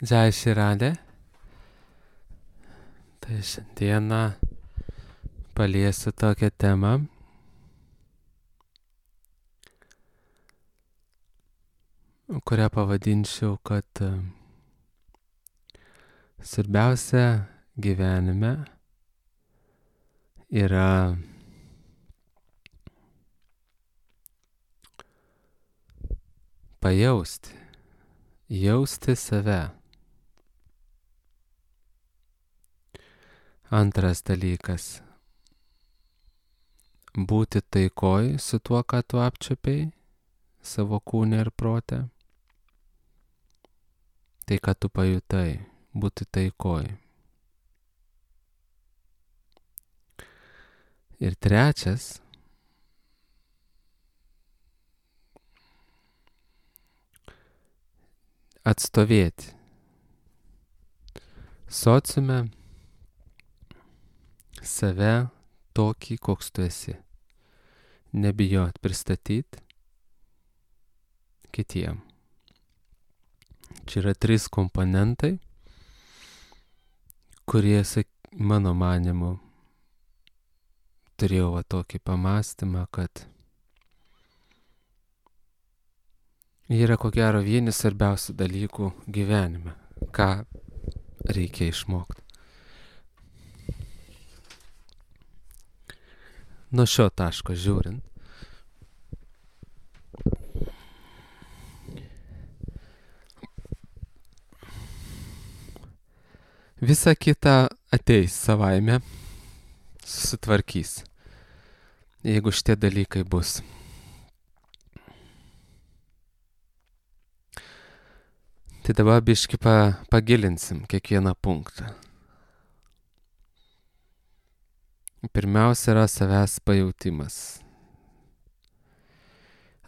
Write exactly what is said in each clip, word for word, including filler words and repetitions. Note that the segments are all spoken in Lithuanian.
Jai Širade. Tai šiandieną paliesiu tokią temą, kurią pavadinčiau, kad svarbiausia gyvenime yra pajausti, jausti save. Antras dalykas - būti taikoj su tuo, ką tu apčiuopei savo kūne ir prote. Tai, ką tu pajutai, būti taikoj. Ir trečias - atstovėti sociume save tokį, koks tu esi. Nebijot pristatyti kitiem. Čia yra trys komponentai, kurie, mano manimu, turėjau va tokį pamastymą, kad yra ko gero vieni svarbiausių dalykų gyvenime, ką reikia išmokti. Nuo šio taško žiūrint, visa kita ateis savaime, susitvarkys, jeigu šitie dalykai bus. Tai dabar biškį pa, pagilinsim kiekvieną punktą. Pirmiausia yra savęs pajautimas.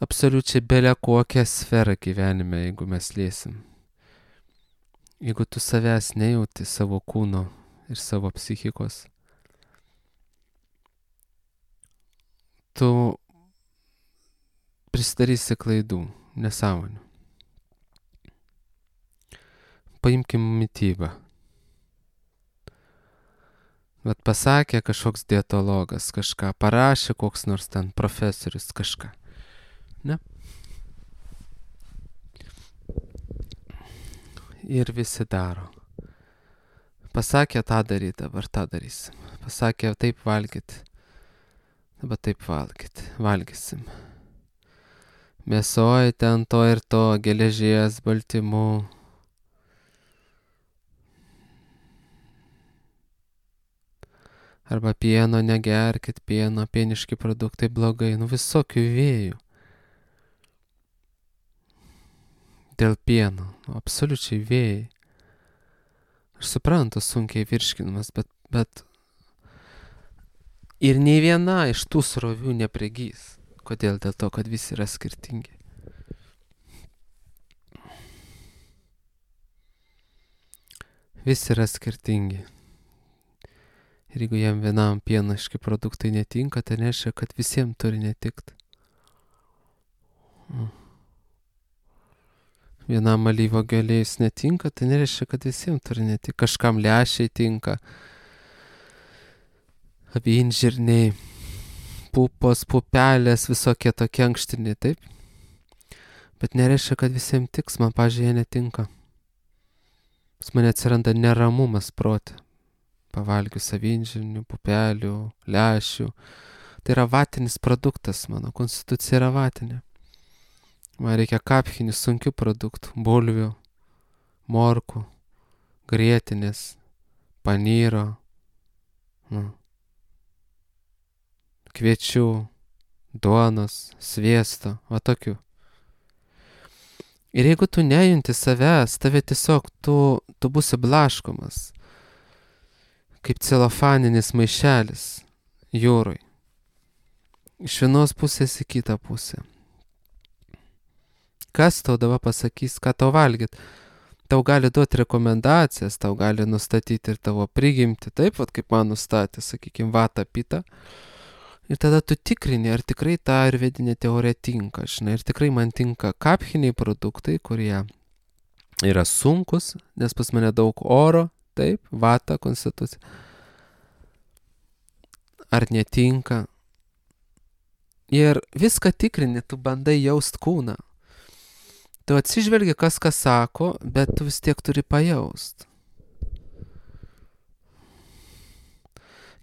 Absoliučiai belia kokią sferą gyvenime, jeigu mes liesim. Jeigu tu savęs nejauti, savo kūno ir savo psichikos, tu prisidarysi klaidų, nesąmonių. Paimkim mitybą. Bet pasakė kažkoks dietologas kažką, parašė koks nors ten profesorius kažką. Ne? Ir visi daro. Pasakė tą daryti, dabar tą darysim. Pasakė taip valgyti, dabar taip valgyti, valgysim. Mėsoj ten to ir to, geležies, baltymų. Arba pieno negerkit, pieno, pieniški produktai blogai, nu visokių vėjų. Dėl pieno, nu, absoliučiai vėjai. Aš suprantu, sunkiai virškinamas, bet, bet ir nei viena iš tų srovių neprigys. Kodėl? Dėl to, kad visi yra skirtingi. Visi yra skirtingi. Ir jeigu jam vienam pieniški produktai netinka, tai nereiškia, kad visiems turi netikti. Vienam alyvuogių aliejus netinka, tai nereiškia, kad visiems turi netikti. Kažkam lęšiai tinka, avinžirniai, pupos, pupelės, visokie tokie ankštiniai, taip? Bet nereiškia, kad visiems tiks, man, pavyzdžiui, jie netinka. Pas mane atsiranda neramumas prote. Pavalgius avinžirnių, pupelių, lęšių. Tai yra vatinis produktas, mano konstitucija yra vatinė. Man reikia kapchinių sunkių produktų, bulvių, morkų, grietinės, panyro, nu, kviečių, duonos, sviesto, va tokių. Ir jeigu tu nejunti savęs, tave tiesiog tu, tu būsi blaškomas. Kaip celofaninis maišelis jūroj. Iš vienos pusės į kitą pusę. Kas tau dabar pasakys, ką tau valgyt? Tau gali duoti rekomendacijas, tau gali nustatyti ir tavo prigimtį, taip, vat kaip man nustatė, sakykime, vatą pitą. Ir tada tu tikrini, ar tikrai ta ayurvedinė teorija tinka, žinai, ir tikrai man tinka kapchiniai produktai, kurie yra sunkus, nes pas mane daug oro, taip, vata konstitucija. Ar netinka. Ir viską tikrini, tu bandai jaust kūną. Tu atsižvelgi, kas ką sako, bet tu vis tiek turi pajaust.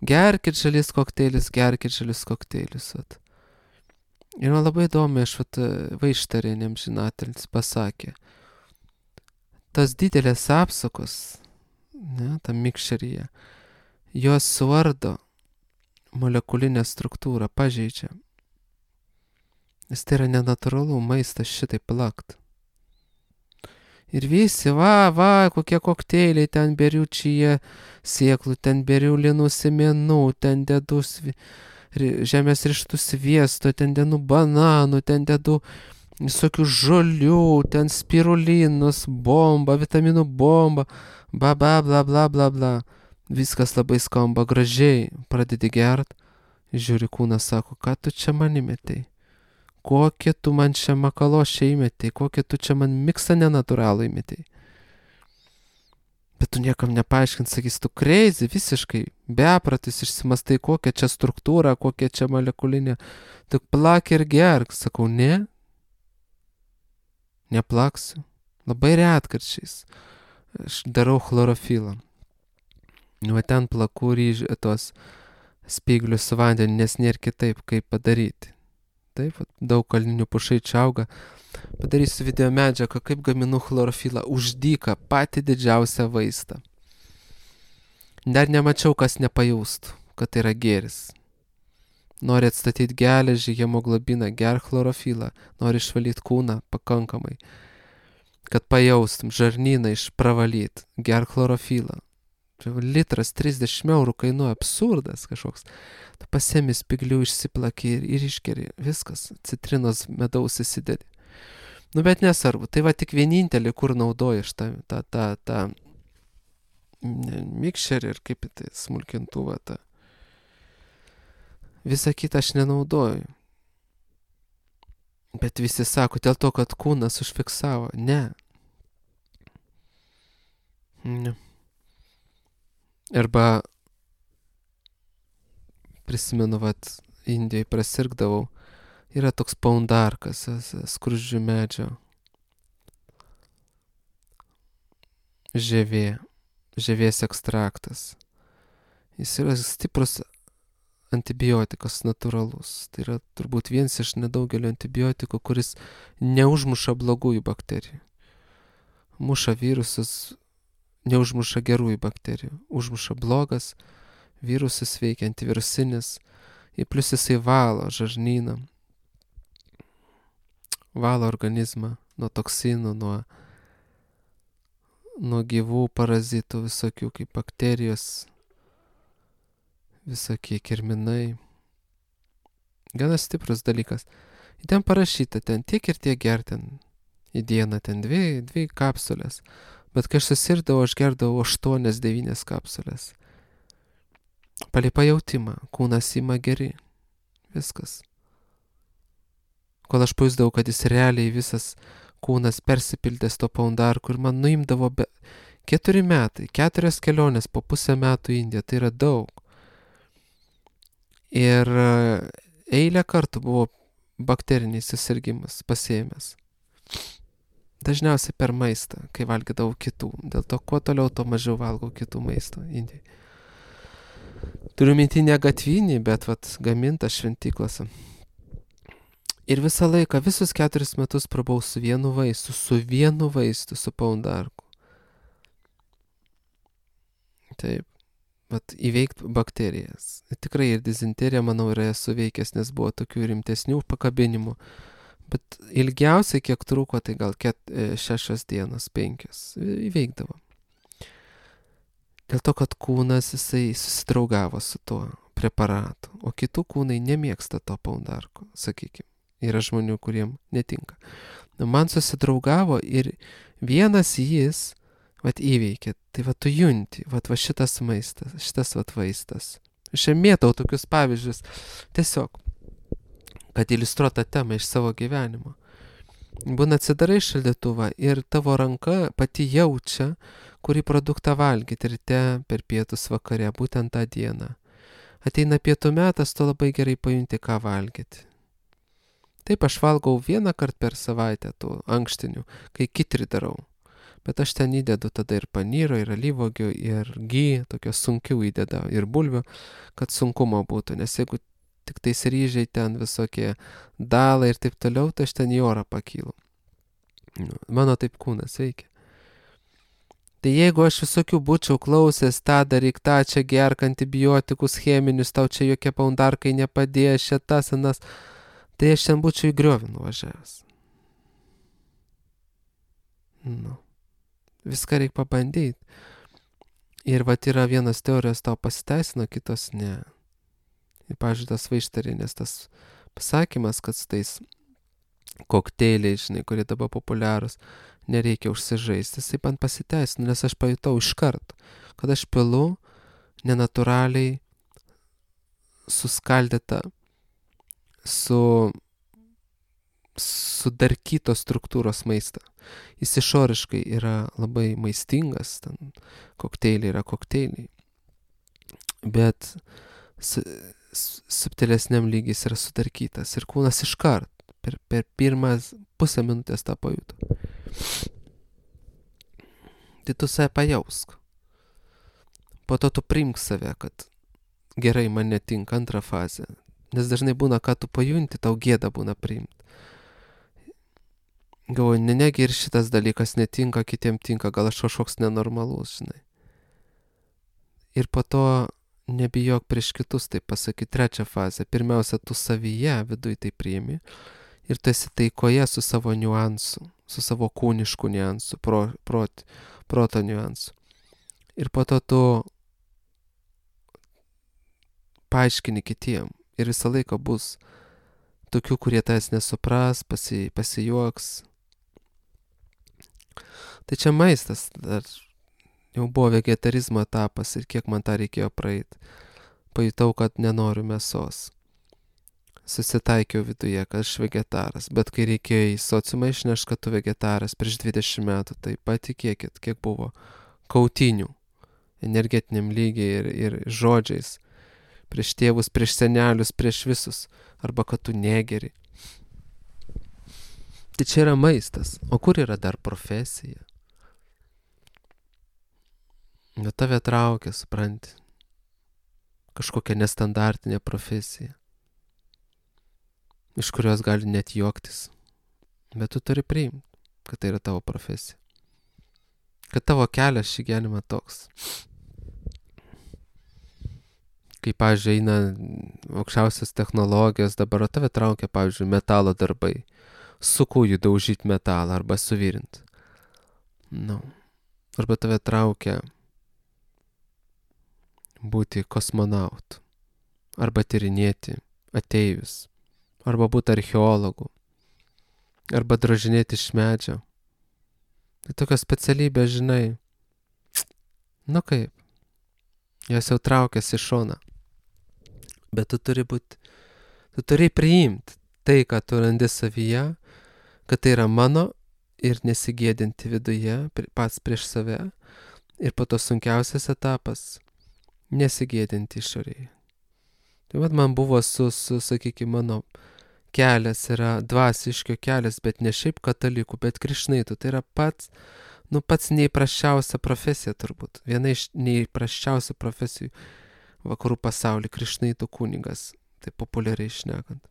Gerkit žalis kokteilis, gerkit žalis kokteilis. Vat. Ir man labai įdomu, aš vat, Vaištarėnėm žinatelis pasakė. Tas didelės apsakos, ne, tam mikšeryje, jos suardo molekulinę struktūrą, pažeidžia. Nes tai yra nenatūralu maistas šitai plakt. Ir visi, va, va, kokie kokteiliai, ten beriu čia sėklų, ten beriu linų sėmenų, ten dedu svi, žemės rištų sviesto, ten dedu bananų, ten dedu visokių žolių, ten spirulinus, bomba, vitaminų bomba, bla bla bla bla bla bla. Viskas labai skamba gražiai, pradedi gert, žiūri kūnas, sako, ką tu čia man įmetei? Kokie tu man čia makalošę įmetei, kokie tu čia man miksą nenatūralų įmetei. Bet tu niekam nepaaiškint, sakys, tu crazy, visiškai, bepratis, išsimastai, kokia čia struktūra, kokia čia molekulinė. Tik plak ir gerk, sakau, ne, neplaksiu, labai retkarčiais. Aš darau chlorofilą. Nu, ten plaku ryž, tos spyglius su vandeniu, nes nėra kitaip, kaip padaryti. Taip, daug kalninių pušaičių auga. Padarysiu video medžiagą, kaip gaminu chlorofilą. Už dyką, patį didžiausią vaistą. Dar nemačiau, kas nepajaustų, kad tai yra gėris. Nori atstatyti geležį, hemoglobiną, ger chlorofilą. Nori išvalyti kūną pakankamai. Kad pajaustum, žarnyną išpravalyt, ger chlorofilą. Litras trisdešimt eurų kainuoja, absurdas kažkoks. Tu pasiemi spyglių, išsiplaki ir, ir išgeri. Viskas, citrinos medaus įsidedi. Nu, bet nesvarbu. Tai va tik vienintelį, kur naudoji šitą tą, tą, tą mikšerį ir kaip tai smulkintuvą. tą. Visą kitą aš nenaudoju. Bet visi sako, dėl to, kad kūnas užfiksavo. Ne. Ne. Arba prisimenu, vat, Indijai prasirgdavau, yra toks paundarkas, skruzdžių medžio žievė, žievės ekstraktas. Jis yra stiprus antibiotikas, natūralus. Tai yra turbūt vienas iš nedaugelio antibiotikų, kuris neužmuša blogųjų bakterijų. Muša virusus, neužmuša gerųjų bakterijų. Užmuša blogas, virusas veikia, antivirusinis. Ir plus jisai valo žarnyną, valo organizmą nuo toksinų, nuo, nuo gyvų parazitų visokių, kaip bakterijos, visokie kirminai. Gana stiprus dalykas. Ir ten parašyta, ten tiek ir tiek ger, ten į dieną, ten dvi, dvi kapsulės. Bet kai aš susirdavau, aš gerdavau aštuonias, devynias kapsulės. Palei pajautimą, kūnas ima geri. Viskas. Kol aš pajusdavau, kad jis realiai visas kūnas persipildęs to paundarku ir man nuimdavo be... keturi metai, keturias kelionės po pusę metų į Indiją, tai yra daug. Ir eilę kartų buvo bakterinis susirgimas pasiėmęs. Dažniausiai per maistą, kai valgydavau kitų. Dėl to, kuo toliau, to mažiau valgau kitų maisto Indijai. Turiu minti ne gatvinį, bet vat, gamintą šventyklose. Ir visą laiką, visus keturis metus prabau su vienu vaistu, su vienu vaistu, su paundarku. Taip, vat, įveikt bakterijas. Tikrai ir dizenterija, manau, yra suveikęs, nes buvo tokių rimtesnių pakabinimų. Bet ilgiausiai, kiek trūko, tai gal ket, šešios dienos, penkios. Įveikdavo. Dėl to, kad kūnas jisai susidraugavo su tuo preparatu, o kitų kūnai nemėgsta to paundarko, sakykime. Yra žmonių, kuriem netinka. Man susidraugavo ir vienas jis, vat, įveikė. Tai va tu junti, vat va šitas maistas, šitas vat vaistas. Aš mėtau tokius pavyzdžius. Tiesiog, kad iliustruotą temą iš savo gyvenimo. Būna atsidarai šaldytuvą ir tavo ranka pati jaučia, kurį produktą valgyti ryte, per pietus, vakare, būtent tą dieną. Ateina pietų metas, tu labai gerai pajunti, ką valgyti. Taip, aš valgau vieną kartą per savaitę tų ankštinių, kai kitri darau. Bet aš ten įdedu tada ir panyro, ir alyvogių, ir gy, tokio sunkių įdeda, ir bulvių, kad sunkumo būtų. Nes jeigu tik tais ryžiai ten visokie dalai ir taip toliau, tai aš ten į orą pakylu. Mano taip kūnas veikia. Tai jeigu aš visokių būčiau klausęs, tą daryk, tą čia gerk, antibiotikus cheminius, tau čia jokie paundarkai nepadėjo, šitas, anas, tai aš ten būčiau į griovį nuvažiavęs. Nu. Viską reikia pabandyti. Ir vat yra vienas teorijos tau pasiteisino, kitos ne. Ir, pavyzdžiui, tas Vaištarinės tas pasakymas, kad su tais kokteiliai, žinai, kurie dabar populiarūs, nereikia užsižaisti, jisai man pasiteisino, nes aš pajutau iš karto, kad aš pilu nenatūraliai suskaldytą, su sudarkytos struktūros maistą. Jis išoriškai yra labai maistingas, ten kokteiliai yra kokteiliai, bet su, subtilesniam lygis yra sudarkytas ir kūnas iškart per, per pirmas pusę minutės tą pajuto. Tai tu save pajausk. Po to tu priimk save, kad gerai, man netinka antra fazė. Nes dažnai būna, ką tu pajunti, tau gėda būna priimti. Galvoju, ne, negi ir šitas dalykas netinka, kitiem tinka, gal aš kažkoks nenormalus, žinai. Ir po to nebijok prieš kitus tai pasakyti trečią fazę. Pirmiausia, tu savyje viduj tai priimi ir tu esi taikoje su savo niuansu, su savo kūnišku niuansu, pro, prot, proto niuansu. Ir po to tu paaiškini kitiem. Ir visą laiką bus tokių, kurie tavęs nesupras, pasi, pasijuoks. Tai čia maistas, dar jau buvo vegetarizmo etapas ir kiek man tą reikėjo praeiti. Pajutau, kad nenoriu mėsos. Susitaikiau viduje, kad aš vegetaras, bet kai reikėjo į sociumą išnešti, kad tu vegetaras prieš dvidešimt metų, tai patikėkit, kiek buvo kautinių energetiniam lygiai ir, ir žodžiais. Prieš tėvus, prieš senelius, prieš visus. Arba kad tu negeri. Tai čia yra maistas. O kur yra dar profesija? Bet tave traukia, supranti. Kažkokia nestandartinė profesija. Iš kurios gali net juoktis. Bet tu turi priimti, kad tai yra tavo profesija. Kad tavo kelias šį gyvenimą toks. Kaip, pavyzdžiui, eina aukščiausias technologijos, dabar o tave traukia, pavyzdžiui, metalo darbai. Su kūju daužyti metalą arba suvirinti. Nu. Arba tave traukia būti kosmonautu. Arba tyrinėti ateivius. Arba būti archeologu. Arba drožinėti iš medžio. Tai tokios specialybės, žinai. Nu kaip. Jos jau traukiasi iš šoną. Bet tu turi būti, tu turi priimti tai, ką tu randi savyje, kad tai yra mano ir nesigėdinti viduje, pats prieš save. Ir po to sunkiausias etapas - nesigėdinti išorėje. Tai vat man buvo su, su sakykime, mano kelias yra dvasiškio kelias, bet ne šiaip katalikų, bet krišnaitų. Tai yra pats, nu pats neįprasčiausia profesija turbūt. Viena iš neįprasčiausių profesijų vakarų pasaulyje, krišnaitų kunigas, tai populiariai šnekant.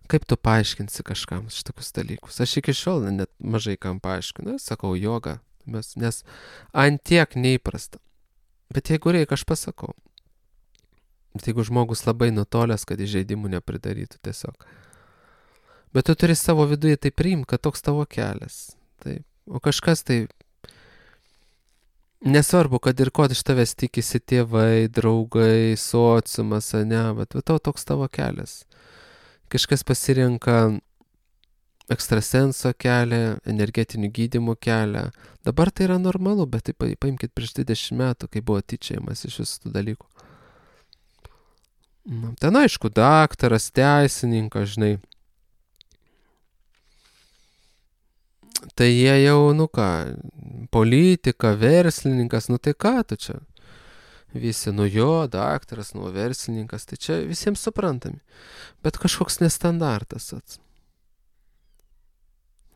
Kaip tu paaiškinsi kažkam šitokius dalykus? Aš iki šiol net mažai kam paaiškinu, sakau joga, mes, nes ant tiek neįprasta. Bet jeigu reikia, aš pasakau. Bet jeigu žmogus labai nutolęs, kad įžeidimų nepridarytų tiesiog. Bet tu turi savo viduje tai priimti, kad toks tavo kelias. Taip. O kažkas tai nesvarbu, kad ir ko iš tavęs tikisi tėvai, draugai, sociumas, ne, bet tau toks tavo kelias. Kažkas pasirenka ekstrasenso kelią, energetinių gydymų kelią. Dabar tai yra normalu, bet tai paimkit prieš dvidešimt metų, kai buvo tyčiajimas iš visų tų dalykų. Ten aišku, daktaras, teisininkas, žinai. Tai jie jau, nu ką, politika, verslininkas, nu tai ką tu čia? Visi, nu jo, daktaras, nu verslininkas, tai čia visiems suprantami. Bet kažkoks nestandartas. Ats.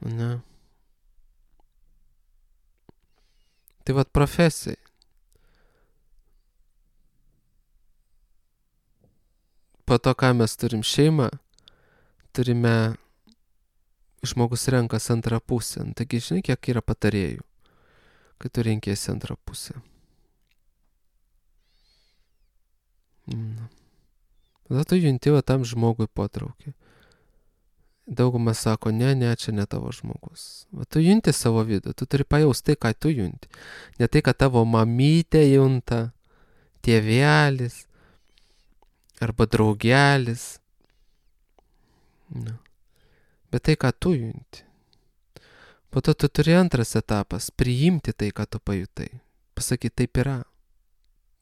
Ne. Tai vat profesijai. Po to, ką mes turim šeimą, turime, žmogus renkas antrą pusę. Taigi, žinai, kiek yra patarėjų, kai tu renkėsi antrą pusę. Na. Tada tu junti va tam žmogui potraukį. Daugumas sako, ne, ne, čia ne tavo žmogus. Va tu junti savo vidų, tu turi pajausti tai, ką tu junti. Ne tai, kad tavo mamytė junta, tėvelis, arba draugelis. Na. Bet tai, ką tu junti. Po to tu turi antras etapas, priimti tai, ką tu pajutai. Pasakyti, taip yra.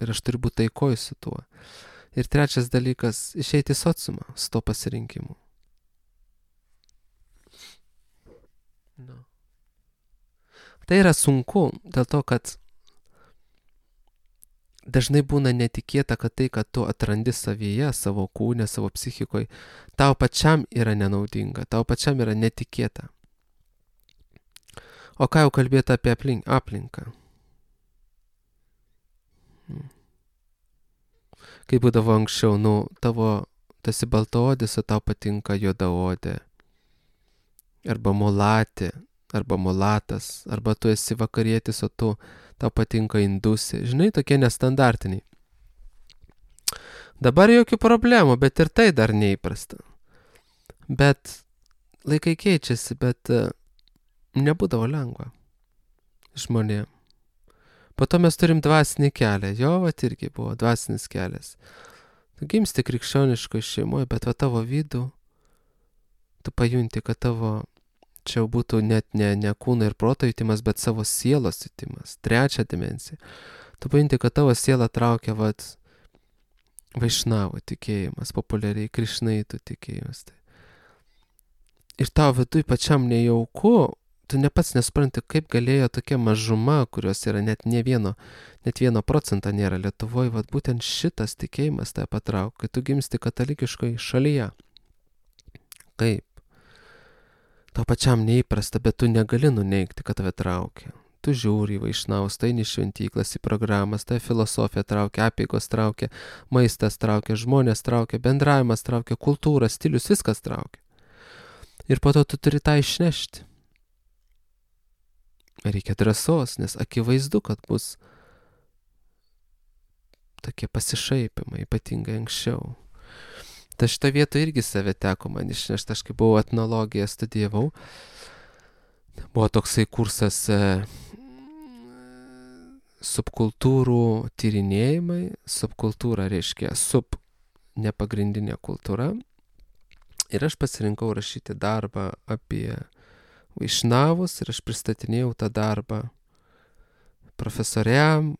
Ir aš turiu būti taikoj su tuo. Ir trečias dalykas, išeiti į sociumą su to pasirinkimu. No. Tai yra sunku, dėl to, kad dažnai būna netikėta, kad tai, kad tu atrandi savyje, savo kūne, savo psichikoje, tau pačiam yra nenaudinga, tau pačiam yra netikėta. O ką jau kalbėti apie aplink, aplinką? Hmm. Kaip būdavo anksčiau, nu, tavo, tasi baltaodis, o tau patinka juodaodė, arba mulatė, arba mulatas, arba tu esi vakarietis, o tu, tau patinka indusė. Žinai, tokie nestandartiniai. Dabar jokių problemų, bet ir tai dar neįprasta. Bet laikai keičiasi, bet uh, nebūdavo lengva žmonėm. Po to mes turim dvasinį kelią. Jo, vat irgi buvo dvasinis kelias. Tu gimsti krikščioniškoje šeimoje, bet va tavo vidų, tu pajunti, kad tavo čia jau būtų net ne, ne kūno ir proto jutimas, bet savo sielos jutimas. Trečia dimensija. Tu pajunti, kad tavo siela traukia vat vaišnavo tikėjimas, populiariai krišnaitų tikėjimas. Tai. Ir tau viduj pačiam nejauku, tu ne pats nesupranti, kaip galėjo tokia mažuma, kurios yra net ne vieno, net vieno procento nėra Lietuvoje, vat būtent šitas tikėjimas tave patrauk, kai tu gimsti katalikiškoje šalyje. Kaip? Tau pačiam neįprasta, bet tu negali nuneigti, kad tave traukia. Tu žiūri į vaišnavus, tai į šventyklas, į programas, tai filosofija traukia, apeigos traukia, maistas traukia, žmonės traukia, bendravimas traukia, kultūra, stilius, viskas traukia. Ir po to tu turi tą išnešti. Reikia drąsos, nes akivaizdu, kad bus tokie pasišaipimai, ypatingai anksčiau. Tai šitą vietą irgi save teko man išnešti, aš kai buvau etnologiją studijavau. Buvo toksai kursas e, subkultūrų tyrinėjimai. Subkultūra reiškia sub nepagrindinė kultūra. Ir aš pasirinkau rašyti darbą apie vaišnavus ir aš pristatinėjau tą darbą profesoriam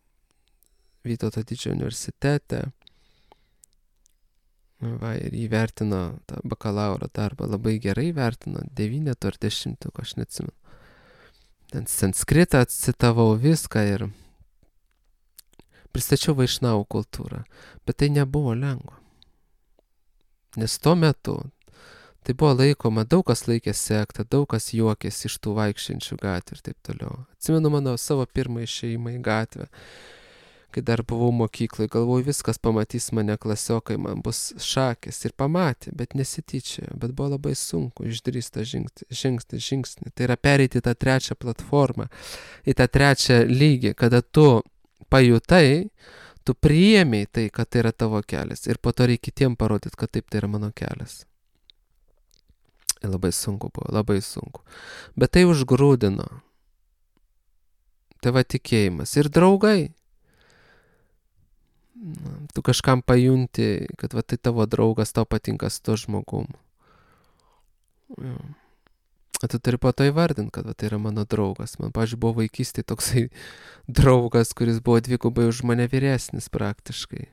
Vytauto Didžiojo universitete. Va, ir įvertino tą bakalauro darbą labai gerai, vertino devynetų ar dešimtų, aš neatsimenu. Ten sanskritą citavau viską ir pristačiau vaišnavų kultūrą. Bet tai nebuvo lengva. Nes tuo metu tai buvo laikoma, daug kas laikė sektą, daug kas juokėsi iš tų vaikščiančių gatvių ir taip toliau. Atsimenu mano savo pirmą išėjimą į gatvę, kai dar buvau mokyklai, galvoju, viskas pamatys mane klasiokai, man bus šakės ir pamatė, bet nesityčiojo, bet buvo labai sunku išdrįsta žingsnį, žingsnį, žingsnį. Tai yra pereiti tą trečią platformą, į tą trečią lygį, kada tu pajutai, tu priėmei tai, kad tai yra tavo kelias ir po to reikia kitiem parodyti, kad taip tai yra mano kelias. Labai sunku buvo, labai sunku. Bet tai užgrūdino. Tai va tikėjimas. Ir draugai. Na, tu kažkam pajunti, kad va tai tavo draugas, tau patinka su to žmogum. Ja. Tu turi po to įvardinti, kad va tai yra mano draugas. Man, pavyzdžiui, buvo vaikystėje toksai draugas, kuris buvo dvigubai už mane vyresnis praktiškai.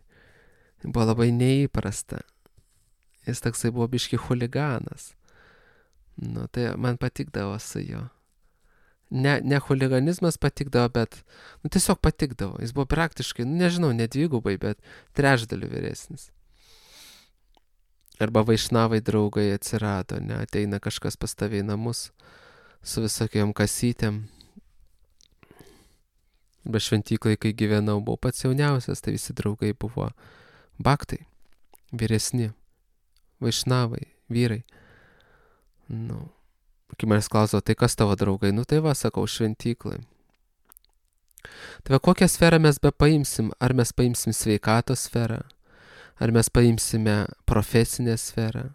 Buvo labai neįprasta. Jis toksai buvo biški chuliganas. Nu, tai man patikdavo su juo. ne, ne chuliganizmas patikdavo, bet, nu, tiesiog patikdavo. Jis buvo praktiškai, nu, nežinau, ne dvigubai, bet trečdaliu vyresnis. Arba vaišnavai draugai atsirado, ne, ateina kažkas pas tave į namus su visokiom kasytėm. Be šventyklai, kai gyvenau, buvau pats jauniausias, tai visi draugai buvo baktai, vyresni, vaišnavai, vyrai. Nu, kai manęs klauso, tai kas tavo draugai? Nu tai va, sakau, šventyklai. Tai va, kokią sferą mes be paimsim? Ar mes paimsim sveikatos sferą? Ar mes paimsime profesinę sferą?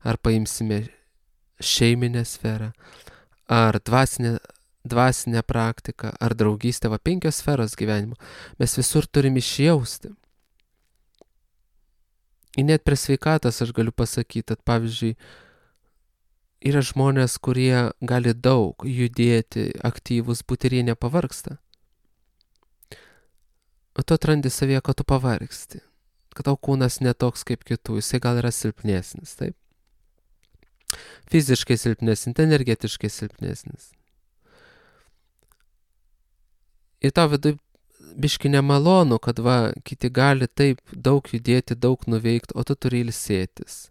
Ar paimsime šeiminę sferą? Ar dvasinę, dvasinę praktiką? Ar draugystę? Va, penkios sferos gyvenimo. Mes visur turim išjausti. Ir net prie sveikatos aš galiu pasakyti, kad pavyzdžiui, yra žmonės, kurie gali daug judėti, aktyvus būti ir jie nepavargsta. O tu atrandi savyje, kad tu pavargsti. Kad tau kūnas netoks kaip kitų, jisai gal yra silpnesnis, taip? Fiziškai silpnesnis, energetiškai silpnesnis. Ir tau vidui biški nemalonu, kad va, kiti gali taip daug judėti, daug nuveikti, o tu turi ilsėtis.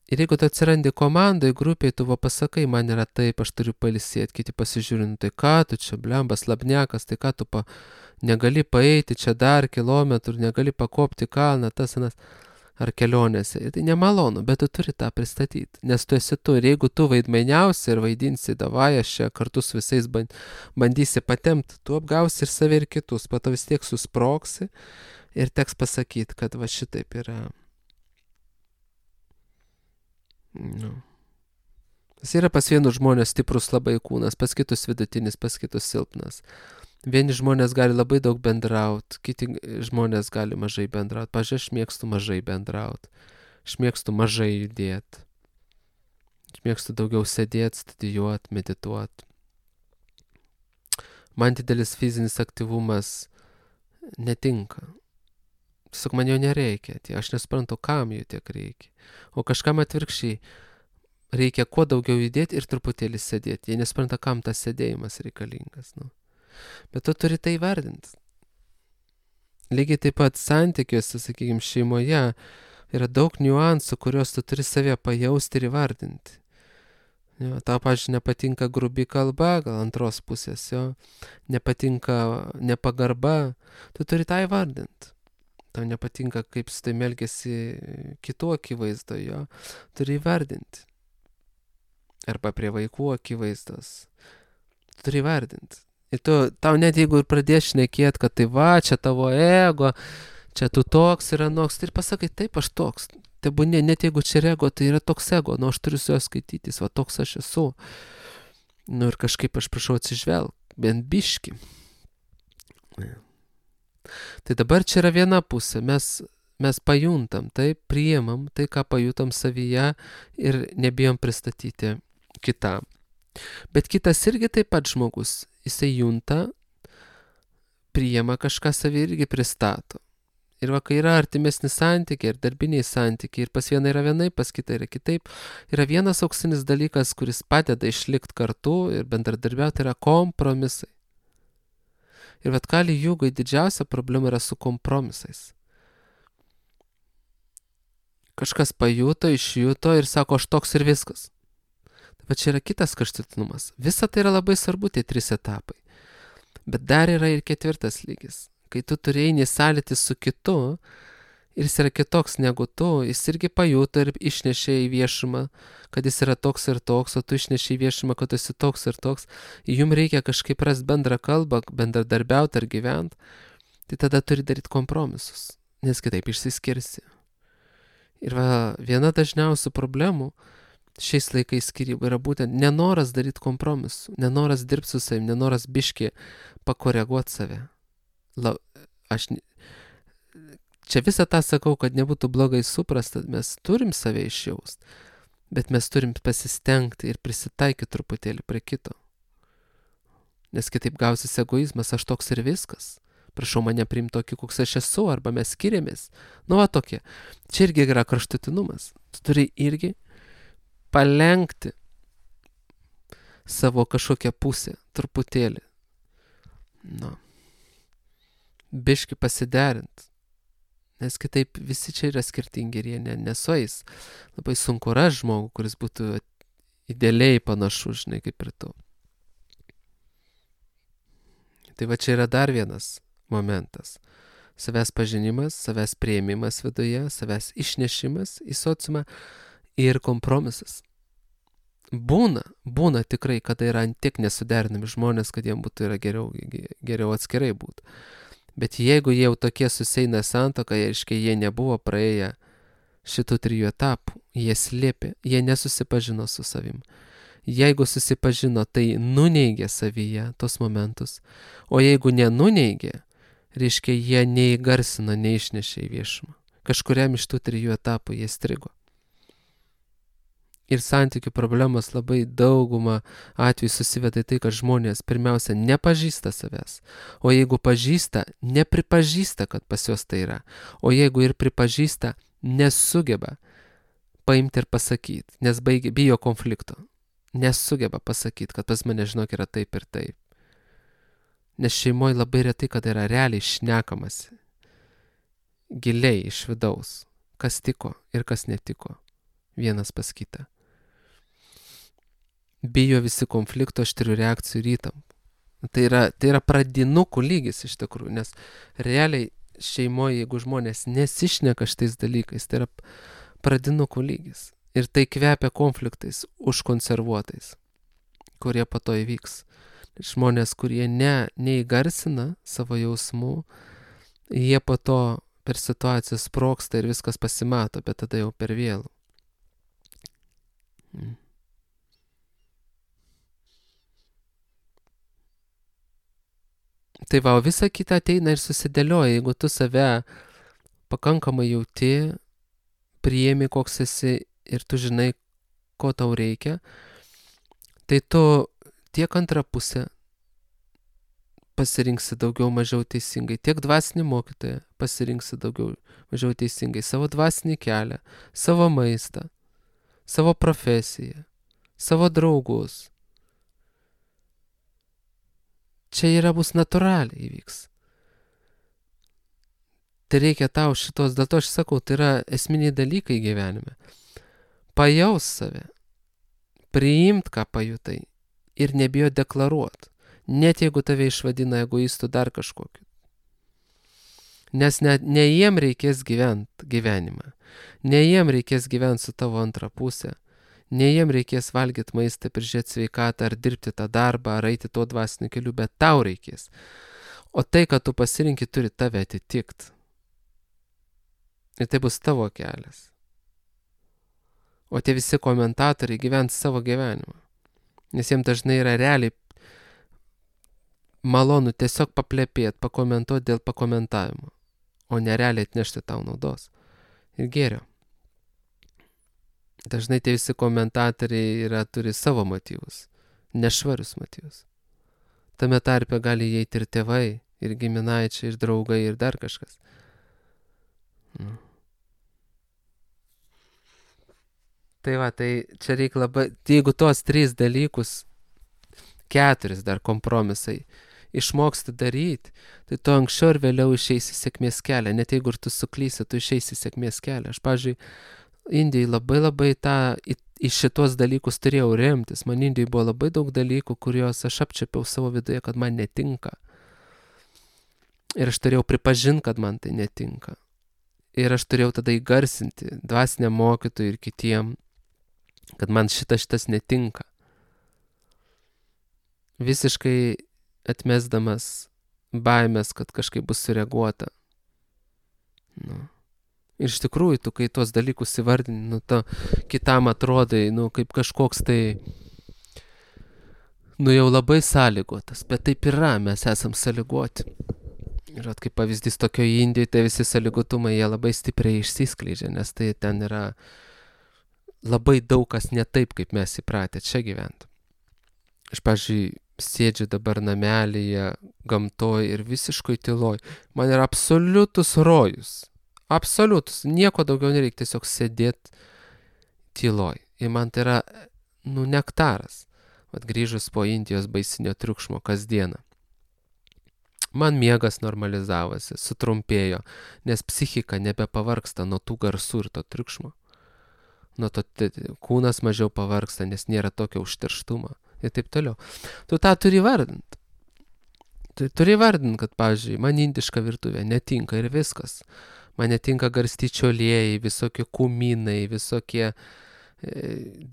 Ir jeigu tu atsirandi komandai, grupiai, tu va pasakai, man yra taip, aš turiu pailsėti, kiti pasižiūrint, tai ką tu čia, blembas, labnekas, tai ką tu pa, negali paeiti čia dar kilometrų, negali pakopti kalną, tas anas, ar kelionėse. Ir tai nemalonu, bet tu turi tą pristatyti, nes tu esi tu. Ir jeigu tu vaidmainiausi ir vaidinsi, davai, aš čia kartu su visais bandysi patemti, tu apgausi ir save ir kitus, po to vis tiek susproksi ir teks pasakyti, kad va šitaip yra. Nu. Tas yra pas vienus žmonės stiprus labai kūnas, pas kitus vidutinis, pas kitus silpnas. Vieni žmonės gali labai daug bendrauti, kiti žmonės gali mažai bendrauti. Pavyzdžiui, aš mėgstu mažai bendrauti, aš mėgstu mažai judėti, aš mėgstu daugiau sėdėti, studijuoti, medituoti. Man didelis fizinis aktyvumas netinka. Tiesiog man jo nereikia, aš nesuprantu, kam jų tiek reikia. O kažkam atvirkščiai reikia kuo daugiau judėti ir truputėlį sėdėti. Jie nespranta, kam tas sėdėjimas reikalingas. Nu. Bet tu turi tai vardinti. Lygiai taip pat santykiuose, sakykime, šeimoje yra daug niuansų, kuriuos tu turi savie pajausti ir įvardinti. Jo, tau, pavyzdžiui, nepatinka grubi kalba, gal antros pusės, jo, nepatinka nepagarba, tu turi tą įvardinti. Tau nepatinka, kaip su tai elgiasi kitų akivaizdo, jo, turi įvardinti. Arba prie vaikų akivaizdos. Tu turi įvardinti. Ir tu, tau net jeigu ir pradės šnekėti, kad tai va, čia tavo ego, čia tu toks ir anoks, tai ir pasakai, taip, aš toks. Tebūnė, net jeigu čia ego, tai yra toks ego, nu aš turiu su juo skaitytis, va toks aš esu. Nu ir kažkaip aš prašau atsižvelg, bent biški. Tai dabar čia yra viena pusė, mes, mes pajuntam, taip, priimam tai, ką pajutam savyje ir nebijom pristatyti kitam. Bet kitas irgi taip pat žmogus, jisai junta, priima kažką savį irgi pristato. Ir va, kai yra artimesni santykiai ir darbiniai santykiai, ir pas vieną yra vienaip, pas kitą yra kitaip, yra vienas auksinis dalykas, kuris padeda išlikti kartu ir bendradarbiauti, yra kompromisai. Ir vat kali jūgai didžiausia problema yra su kompromisais. Kažkas pajuto, išjuto ir sako, aš toks ir viskas. Bet čia yra kitas kraštutinumas. Visa tai yra labai svarbu, tie trys etapai. Bet dar yra ir ketvirtas lygis. Kai tu turėjai nesąlytį su kitu, ir jis yra kitoks negu tu, jis irgi pajuto ir išnešė į viešumą, kad jis yra toks ir toks, o tu išnešė į viešumą, kad tu esi toks ir toks. Jums reikia kažkaip rasti bendrą kalbą, bendradarbiauti ar gyventi, tai tada turi daryti kompromisus, nes kitaip išsiskirsi. Ir va, viena dažniausių problemų šiais laikais skyrybų yra būtent nenoras daryti kompromisų, nenoras dirbti su savim, nenoras biški pakoreguoti save. La, aš čia visą tą sakau, kad nebūtų blogai suprasta, mes turim save išjaust, bet mes turim pasistengti ir prisitaikyti truputėlį prie kito. Nes kitaip gausis egoizmas, aš toks ir viskas. Prašau mane priimti tokį, koks aš esu, arba mes skiriamės. Nu va tokie. Čia irgi yra kraštutinumas. Tu turi irgi palenkti savo kažkokią pusę, truputėlį. Nu, biški pasiderint. Nes kitaip visi čia yra skirtingi ir jie ne, nesueis. Labai sunku ras žmogų, kuris būtų idealiai panašus, žinai, kaip ir tu. Tai va čia yra dar vienas momentas. Savęs pažinimas, savęs priėmimas viduje, savęs išnešimas į sociumą ir kompromisas. Būna, būna tikrai, kada yra ant tiek nesuderinami žmonės, kad jiems būtų yra geriau, geriau atskirai būtų. Bet jeigu jie jau tokie susieina santuoką, reiškia, jie nebuvo praėję šitų trijų etapų, jie slėpė, jie nesusipažino su savim. Jeigu susipažino, tai nuneigė savyje tos momentus, o jeigu nenuneigė, reiškia, jie neįgarsino, neišnešė į viešumą. Kažkuriam iš tų trijų etapų jie strigo. Ir santykių problemos labai daugumą atvejų susiveda į tai, kad žmonės pirmiausia nepažįsta savęs, o jeigu pažįsta, nepripažįsta, kad pas juos tai yra, o jeigu ir pripažįsta, nesugeba paimti ir pasakyti, nes baigi, bijo konflikto, nesugeba pasakyti, kad pas mane, žinok, yra taip ir taip. Nes šeimoje labai retai, kad yra realiai šnekamasi, giliai iš vidaus, kas tiko ir kas netiko, vienas pas kitą. Bijo visi konflikto, aštrių reakcijų ir įtampų. Tai yra, tai yra pradinukų lygis iš tikrųjų, nes realiai šeimoje, jeigu žmonės nesišneka šitais dalykais, tai yra pradinukų lygis. Ir tai kvepia konfliktais užkonservuotais, kurie po to įvyks. Žmonės, kurie ne, neįgarsina savo jausmų, jie po to per situaciją sprogsta ir viskas pasimato, bet tada jau per vėlų. Hmm. Tai va, o visa kita ateina ir susidėlioja, jeigu tu save pakankamai jauti, priėmi, koks esi ir tu žinai, ko tau reikia, tai tu tiek antrą pusę pasirinksi daugiau mažiau teisingai, tiek dvasinį mokytoją pasirinksi daugiau mažiau teisingai, savo dvasinį kelią, savo maistą, savo profesiją, savo draugus. Čia yra bus natūraliai įvyks. Tai reikia tau šitos, dėl to aš sakau, tai yra esminiai dalykai gyvenime. Pajaus save, priimt, ką pajutai ir nebijo deklaruot, net jeigu tave išvadina egoistų dar kažkokiu. Nes ne, ne jiem reikės gyventi gyvenimą, ne jiem reikės gyventi su tavo antrą pusę, ne jiem reikės valgyti maistą, prižiūrėti sveikatą, ar dirbti tą darbą, ar eiti tuo dvasiniu keliu, bet tau reikės. O tai, kad tu pasirinki, turi tave atitikti. Ir tai bus tavo kelias. O tie visi komentatoriai gyvens savo gyvenimą. Nes jiems dažnai yra realiai malonu tiesiog paplepėti, pakomentuoti dėl pakomentavimo, o nerealiai atnešti tau naudos ir gėrio. Dažnai tie visi komentatoriai yra, turi savo motyvus, nešvarius motyvus. Tame tarpe gali įeiti ir tėvai, ir giminaičiai, ir draugai, ir dar kažkas. Mm. Tai va, tai čia reikia labai, jeigu tos trys dalykus, keturis dar kompromisai, išmoksti daryti, tai tu anksčiau ir vėliau išeisi sėkmės kelią. Net jeigu ir tu suklysi, tu išeisi sėkmės kelią. Aš, pavyzdžiui, Indijai labai labai tą, į, į šitos dalykus turėjau remtis. Man Indijai buvo labai daug dalykų, kuriuos aš apčiapiau savo viduje, kad man netinka. Ir aš turėjau pripažinti, kad man tai netinka. Ir aš turėjau tada įgarsinti dvasiniam mokytojui ir kitiem, kad man šitas šitas netinka. Visiškai atmesdamas baimės, kad kažkaip bus sureaguota. Nu. Ir iš tikrųjų, tu kai tuos dalykus įvardini, nu, to kitam atrodai, nu, kaip kažkoks tai, nu, jau labai sąlygotas, bet taip yra, mes esam sąlygoti. Ir at, kaip pavyzdys tokioje Indijoje, tai visi sąlygotumai, jie labai stipriai išsiskleidžia, nes tai ten yra labai daug kas ne taip, kaip mes įpratę čia gyventi. Aš, pavyzdžiui, sėdžiu dabar namelyje, gamtoj ir visiškoj tyloj. Man yra absoliutus rojus. Absoliutus. Nieko daugiau nereikia, tiesiog sėdėti tyloj. Ir man tai yra, nu, nektaras. vat grįžus po Indijos baisinio triukšmo kasdieną. Man miegas normalizavosi, sutrumpėjo, nes psichika nebepavargsta nuo tų garsų ir to triukšmo. Nuo to kūnas mažiau pavargsta, nes nėra tokio užterštumo ir taip toliau. Tu tą turi vardinti. Tu turi vardinti, kad, pavyzdžiui, man indiška virtuvė netinka ir viskas. Man netinka garstyčio aliejai, visokie kumynai, visokie,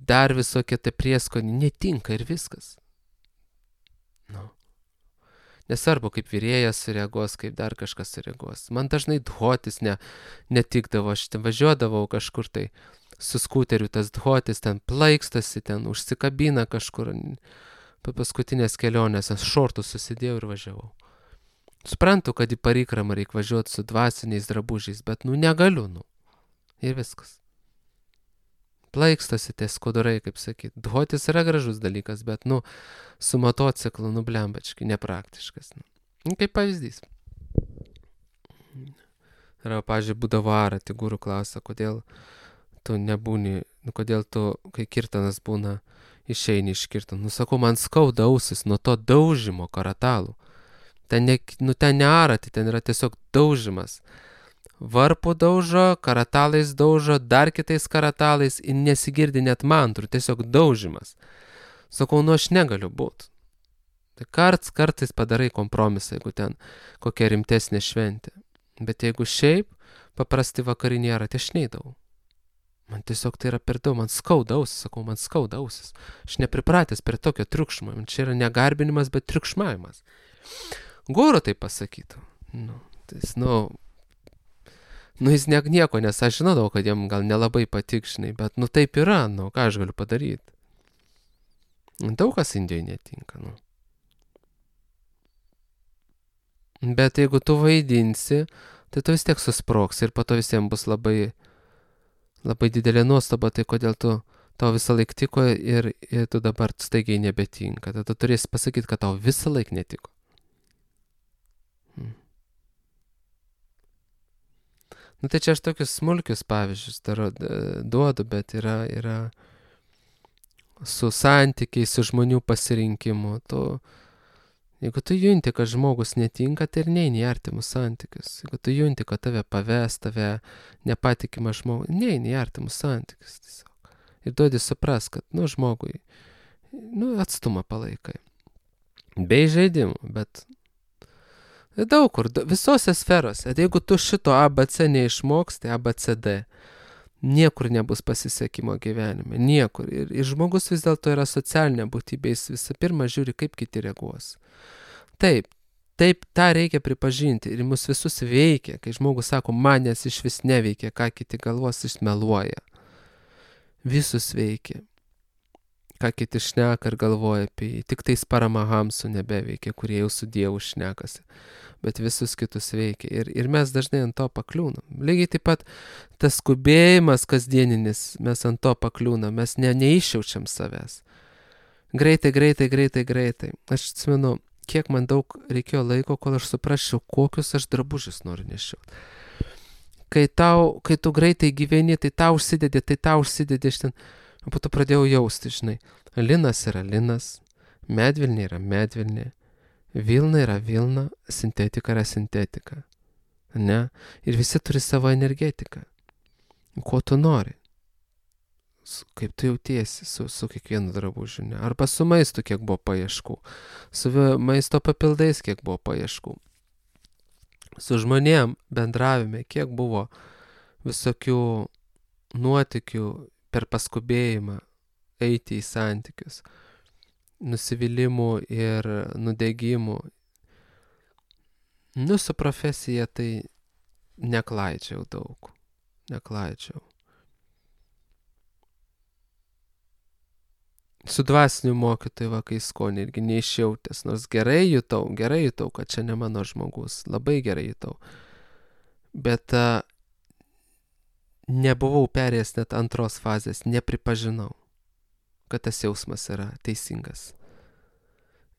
dar visokie tai prieskoniai, netinka ir viskas. Nu. Nesvarbu, kaip vyrėjas sureaguos, kaip dar kažkas sureaguos. Man dažnai dhotis ne, netikdavo, aš ten važiuodavau kažkur tai su skuteriu, tas dhotis ten plaikstasi, ten užsikabina kažkur. Po paskutinės kelionės aš šortus susidėjau ir važiavau. Suprantu, kad į parikramą reikia važiuoti su dvasiniais drabužiais, bet nu negaliu, nu. Ir viskas. Plaikstosi tie skudurai, kaip sakyt. Dhotis yra gražus dalykas, bet, nu, su motociklu, nu, blembačkai, nepraktiškas. Nu, kaip pavyzdys. Ir, pavyzdžiui, būdavo Ara, tai guru klausia, kodėl tu nebūni, nu, kodėl tu, kai kirtanas būna, išeini iš kirtano. Nu, sakau, man skauda ausis nuo to daužimo karatalų. Ten ne, nu, ten ne Ara, tai ten yra tiesiog daužimas. Varpų daužo, karatalais daužo, dar kitais karatalais ir nesigirdi net mantrų, tiesiog daužimas. Sakau, nu aš negaliu būt. Tai karts, kartais padarai kompromisą, jeigu ten kokia rimtesnė šventė. Bet jeigu šiaip, paprasti vakarį nėra, tai aš neidau. Man tiesiog tai yra per daug, man skauda ausis, sakau, man skauda ausis. Aš nepripratęs prie tokio triukšmo, man čia yra negarbinimas, bet triukšmavimas. Guru tai pasakytų. Nu, tai, nu, Nu, jis ne, nieko, nes aš žinodavau, kad jam gal nelabai patiks, žinai, bet, nu, taip yra, nu, ką aš galiu padaryti. Daug kas Indijoje netinka, nu. Bet jeigu tu vaidinsi, tai tu vis tiek susproks ir po to visiems bus labai, labai didelė nuostaba, tai kodėl tu, tau visą laik tiko ir, ir tu dabar staigiai nebetinka. Tada tu turėsi pasakyti, kad tau visą laik netiko. Hmm. Nu, tai čia aš tokius smulkius pavyzdžius daro, duodu, bet yra, yra su santykiais, su žmonių pasirinkimu. Tu, jeigu tu junti, kad žmogus netinka, tai ir neini į artimus santykius. Jeigu tu junti, kad tave paves, tave nepatikima žmogus, neini į artimus santykius tiesiog. Ir duodi supras, kad, nu, žmogui, nu, atstumą palaikai. Be žaidimų, bet daug kur, visose sferose. Jeigu tu šito A B C neišmoks, tai A B C D. Niekur nebus pasisekimo gyvenime. Niekur. Ir, ir žmogus vis dėlto yra socialinė būtybė. Jis visą pirma žiūri, kaip kiti reaguos. Taip, taip, tą reikia pripažinti. Ir mus visus veikia. Kai žmogus sako, manęs iš vis neveikia, ką kiti galvos, jis meluoja. Visus veikia. Ką kiti šneka ir galvoja apie jį. Tik tais Paramahamsų nebeveikia, kurie jau su Dievu šnekasi. Bet visus kitus veikia. Ir, ir mes dažnai ant to pakliūnam. Lygiai taip pat tas skubėjimas kasdieninis, mes ant to pakliūnam. Mes ne, neišjaučiam savęs. Greitai, greitai, greitai, greitai. Aš atsimenu, kiek man daug reikėjo laiko, kol aš suprasčiau, kokius aš drabužius noriu nešioti. Kai, tau, kai tu greitai gyveni, tai tau užsidedi, tai tau užsidedi iš ten. Po to pradėjau jausti, žinai. Linas yra linas, medvilnė yra medvilnė. Vilna yra vilna, sintetika yra sintetika. Ne? Ir visi turi savo energetiką. Ko tu nori? Su, kaip tu jautiesi su, su kiekvienu drabužiu, ne? Arba su maistu, kiek buvo paieškų. Su maisto papildais, kiek buvo paieškų. Su žmonėm bendravime, kiek buvo visokių nuotykių per paskubėjimą eiti į santykius. Nusivylimų ir nudegimų. Nu, su profesija tai neklaidžiau daug. Neklaidžiau. Su dvasiniu mokytoju va, kai skonį irgi neišjautęs, nors gerai jutau, gerai jutau, kad čia ne mano žmogus. Labai gerai jutau. Bet a, nebuvau perėjęs net antros fazės, nepripažinau, kad tas jausmas yra teisingas.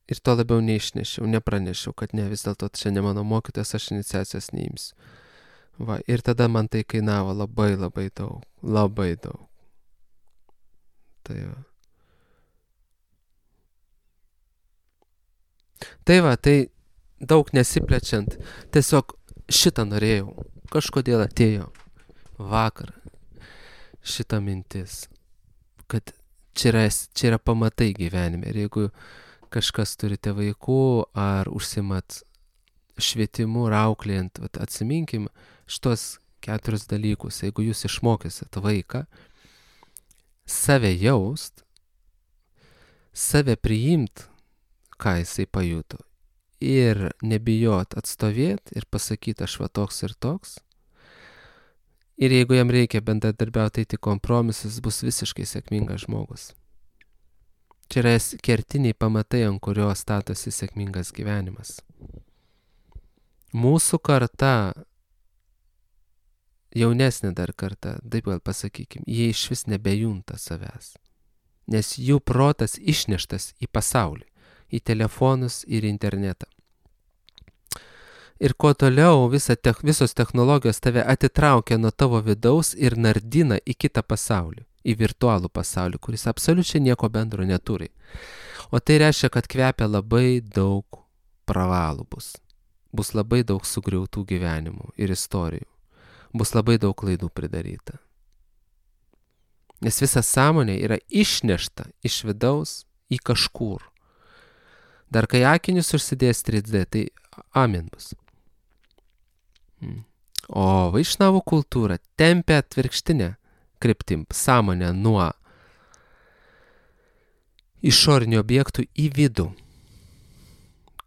Ir to labiau neišnešiau, nepranešiau, kad ne, vis dėlto čia ne mano mokytojas, aš iniciacijos neimsiu. Va, ir tada man tai kainavo labai labai daug, labai daug. Tai va. Tai va, tai daug nesiplečiant, tiesiog šitą norėjau. Kažkodėl atėjo vakar šita mintis, kad čia yra, čia yra pamatai gyvenime. Ir jeigu kažkas turite vaikų ar užsimat švietimu, auklėjant, vat, atsiminkim šitos keturis dalykus. Jeigu jūs išmokysit vaiką save jaust, save priimt, ką jisai pajuto, ir nebijot atstovėt ir pasakyti aš va toks ir toks. Ir jeigu jam reikia bendradarbiauti, tai kompromisas, bus visiškai sėkmingas žmogus. Čia yra kertiniai pamatai, ant kurio statosi sėkmingas gyvenimas. Mūsų karta, jaunesnė dar karta, taip gal pasakykim, jie iš vis nebejunta savęs. Nes jų protas išneštas į pasaulį, į telefonus ir internetą. Ir kuo toliau visa te, visos technologijos tave atitraukia nuo tavo vidaus ir nardina į kitą pasaulį, į virtualų pasaulį, kuris absoliučiai nieko bendro neturi. O tai reiškia, kad kvepia labai daug pravalų bus. Bus labai daug sugriautų gyvenimų ir istorijų. Bus labai daug klaidų pridaryta. Nes visa sąmonė yra išnešta iš vidaus į kažkur. Dar kai akinius užsidės trys D, tai amen bus. O vaišnavų kultūra tempia atvirkštinę kryptim, sąmonę nuo išorinių objektų į vidų,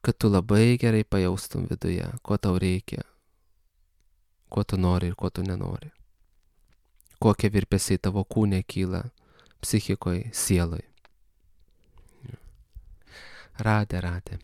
kad tu labai gerai pajaustum viduje, ko tau reikia, ko tu nori ir ko tu nenori, kokie virpesiai tavo kūne kyla, psichikoje, sieloje. Radė, radė.